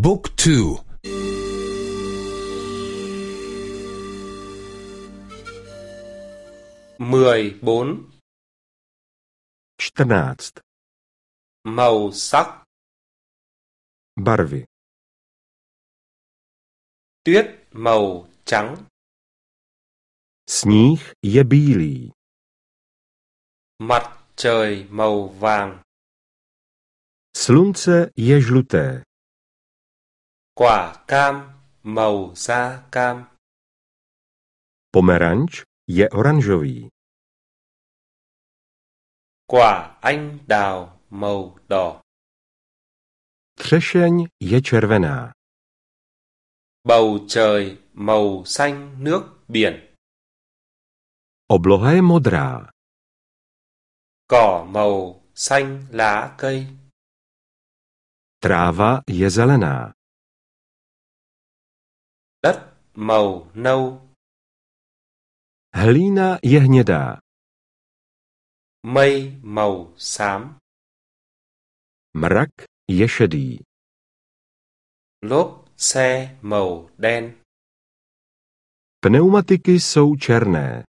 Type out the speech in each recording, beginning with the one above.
บุ๊กทู14 14. Màu sắc. Barvy. Tuyết màu trắng. Sníh je bílý. Mặt trời màu vàng. Slunce je žluté. Quả cam màu da cam. Pomeranč je oranžový. Quả anh đào màu đỏ. Třešeň je červená. Bầu trời màu xanh nước biển. Obloha je modrá. Cỏ màu xanh lá cây. Tráva je zelená. Đất màu nâu. Hlína je hnědá. Mây màu xám. Mrak je šedý. Lốp xe màu đen. Pneumatiky jsou černé.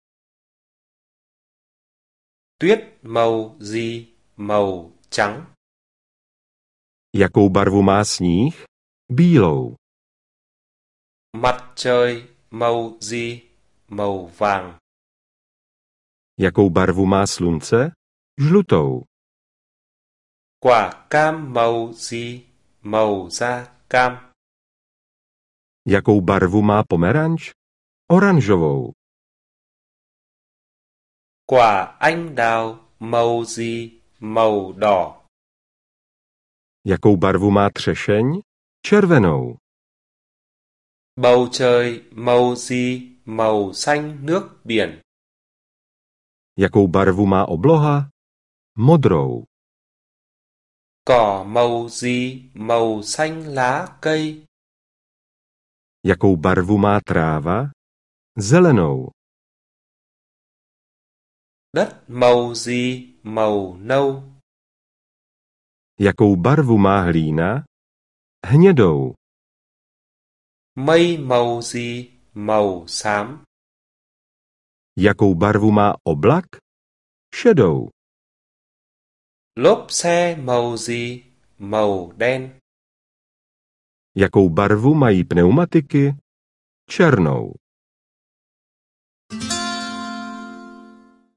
Tuyết màu gì màu trắng. Jakou barvu má sníh? Bílou. Mặt trời màu gì màu vàng. Jakou barvu má slunce? Žlutou. Quả cam màu gì màu da cam. Jakou barvu má pomeranč? Oranžovou. Quả anh đào màu gì màu đỏ. Jakou barvu má třešeň? Červenou. Bầu trời màu gì màu xanh nước biển. Jakou barvu má obloha? Modrou. Cỏ màu gì màu xanh lá cây. Jakou barvu má tráva? Zelenou. Đất màu gì màu nâu. Jakou barvu má hlína? Hnědou. Mây màu gì màu xám. Jakou barvu má oblak? Šedou. Lốp xe màu gì màu đen. Jakou barvu mají pneumatiky? Černou.